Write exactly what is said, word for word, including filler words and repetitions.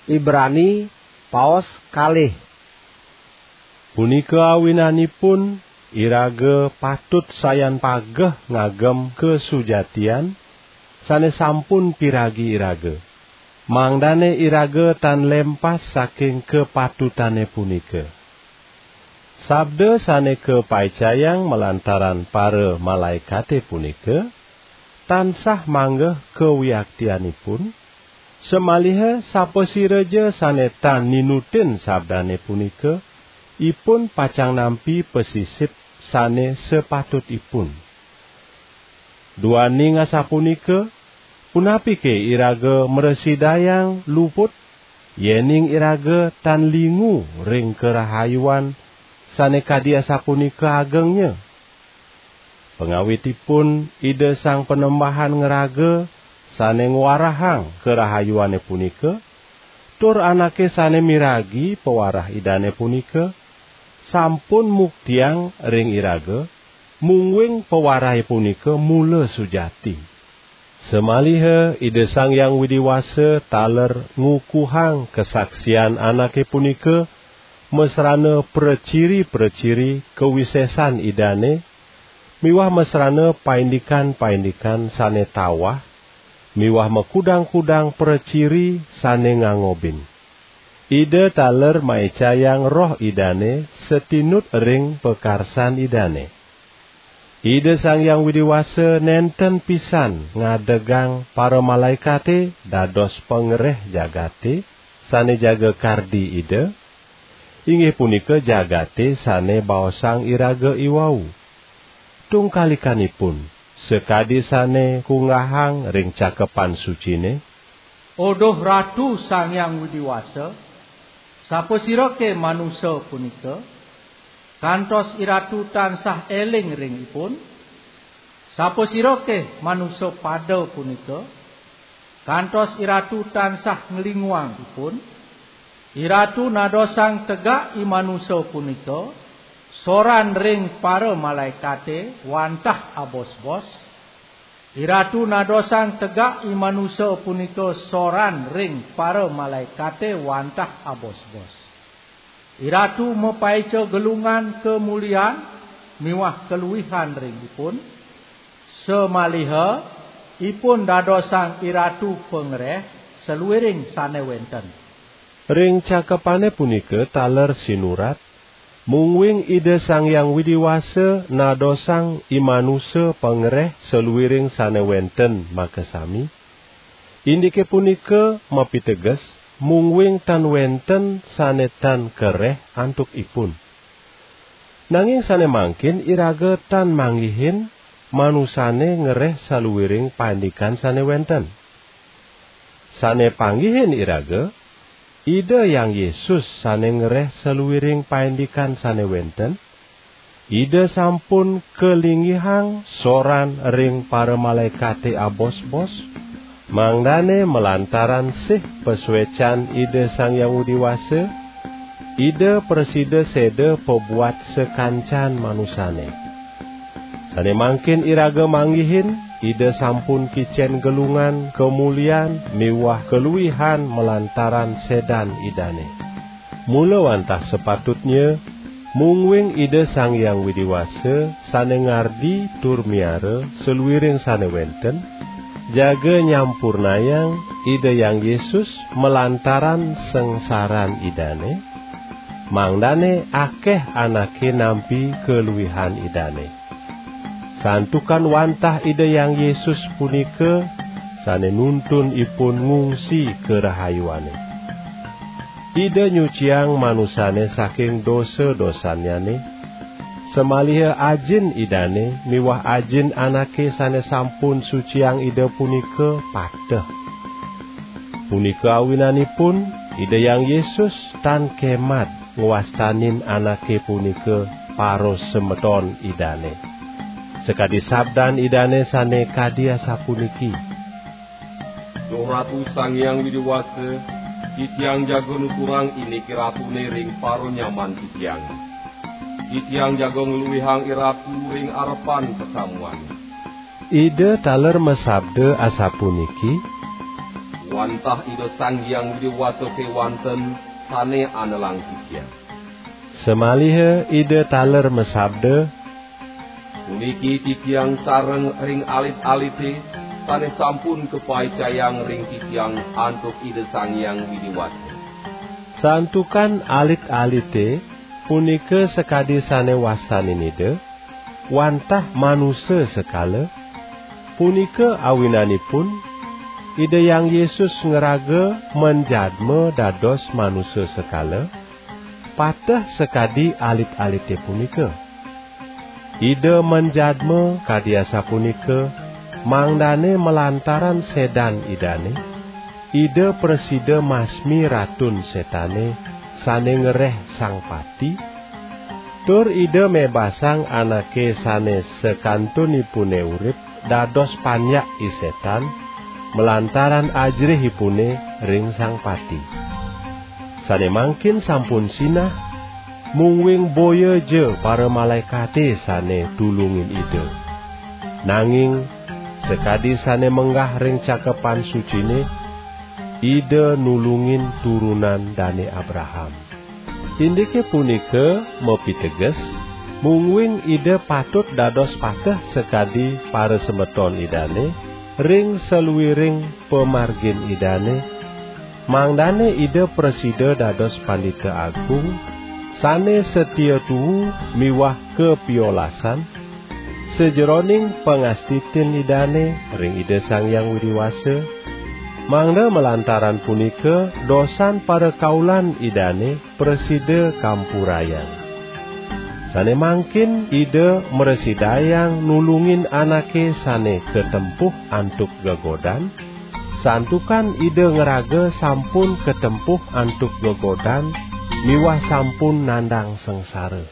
Ibrani, paos kalih. Punika awinanipun, iraga patut sayan pageh ngagem kasujatian sane sampun piragi iraga, mangdane iraga tan lempas saking kapatutane punika. Sabda sane kapaicayang malantaran para malaekate punika tansah manggeh kawiaktianipun, samaliha sapasiraja sane tan ninutin sabdane punika, ipun pacang nampi pasisip sane sapatutipun. Duaning asapunika, punapike iraga mrasidayang luput, yening iraga tan lingu ring karahayuan sane kadi asapunika agengnya? Pangawitipun Ida Sang Panembahan ngraga sane ngwarahang karahayuane punika, tur anake sane miragi pawarah Idane punika sampun muktiang ring iraga, mungguing pawarahe punika mula sujati. Samaliha Ida Sang Hyang Widi Wasa taler ngukuhang kasaksian anake punika masrana praciri-praciri kawisesan Idane, miwah masrana paindikan-paindikan sane tawah, miwah makudang-kudang praciri sane ngangobin. Ida taler maicayang Roh Idane satinut ring pakarsan Idane. Ida Sang Hyang Widi Wasa nenten pisan ngadegang paramalaekate dados pangreh jagate sane jaga kardi Ida, inggih punika jagate sane baosang iraga iwau. Tungkalikanipun, sakadi sane kunggahang ring Cakepan Sucine, "Oduh Ratu Sang Hyang Widi Wasa, sapasirake manusa punika, kantos iratu tansah eling ring ipun? Sapasirake manusa pada punika, kantos iratu tansah nglinguang ipun? Iratu nadosang tegak i manusa punika, soran ring paramalaekate wantah abos-bos. Iratu nadosang tegak i manusa punika soran ring paramalaekate wantah abos-bos. Iratu mapaica gelungan kamulian miwah kaluihan ring ipun, samaliha ipun dadosang iratu pangreh saluiring sane wenten." Ring cakepane punika taler sinurat, mungguing Ida Sang Hyang Widi Wasa nadosang i manusa pangreh saluiring sane wenten makasami. Indike punika mapiteges, mungguing tan wenten sane tan kareh antuk ipun. Nanging sane mangkin iraga tan manggihin manusane ngreh saluiring paindikan sane wenten. Sane panggihin iraga, Ida Hyang Yesus sane ngreh saluiring paindikan sane wenten. Ida sampun kalinggihang soran ring paramalaekate abos-bos, mangdane malantaran sih pasuecan Ida Sang Hyang Widi Wasa, Ida prasida seda pabuat sakancan manusane. Sane mangkin iraga manggihin, Ida sampun kicen gelungan kamulian miwah kaluihan malantaran sedan Idane. Mula wantah sapatutnya, mungguing Ida Sang Hyang Widi Wasa sane ngardi tur miara saluiring sane wenten, jaga nyampurnayang Ida Hyang Yesus malantaran sangsaran Idane, mangdane akeh anake nampi kaluihan Idane. Santukan wantah Ida Hyang Yesus punika sane nuntun ipun ngungsi karahayuane. Ida nyuciang manusane saking dosa-dosannyane, samaliha Ajin Idane miwah Ajin anake sane sampun suciang Ida punika pateh. Punika awinanipun Ida Hyang Yesus tan kemat ngwastanin anake punika parasemeton Idane. Sakadi sabdan Idane sane kadi asapuniki, "Duh Ratu Sang Hyang Widi Wasa, titiang jaga nuturang indik Ratune ring paranyaman titiang. Titiang jaga ngluihang Iratu ring arepan pasamuan." Ida taler masabda asapuniki, Wantah Ida Sang Hyang Widi Wasa kewanten sane anelang titiang. Samaliha Ida taler masabda, "Puniki titiang sareng ring alit-alite sane sampun kapaicayang ring titiang antuk Ida Sang Hyang Widi Wasa." Santukan alit-alite punika sakadi sane wastanin Ida, wantah manusa sekala, punika awinanipun Ida Hyang Yesus ngraga manjadma dados manusa sekala, pateh sakadi alit-alite punika. Ida manjadma kadi asapunika, mangdane malantaran sedan Idane, Ida prasida masmi Ratun Setane sane ngereh Sang Pati, tur Ida mebasang anake sane sakantunipune urip dados panyak i setan, malantaran ajrihipune ring Sang Pati. Sane mangkin sampun sinah, mungguing boya ja paramalaekate sane tulungin Ida. Nanging sakadi sane menggah ring Cakepan Sucine, Ida nulungin turunan Dane Abraham. Indike punika mapiteges, mungguing Ida patut dados pateh sakadi parasemeton Idane ring saluiring pamargin Idane, mangdane Ida prasida dados Pandita Agung sane satia tuu miwah kapiolasan, sajeroning pangastitin Idane ring Ida Sang Hyang Widi Wasa, mangda malantaran punika dosan parakaulan Idane prasida kampurayang. Sane mangkin Ida mrasidayang nulungin anake sane katempuh antuk gegodan, santukan Ida ngraga sampun katempuh antuk gegodan miwah sampun nandang sangsara.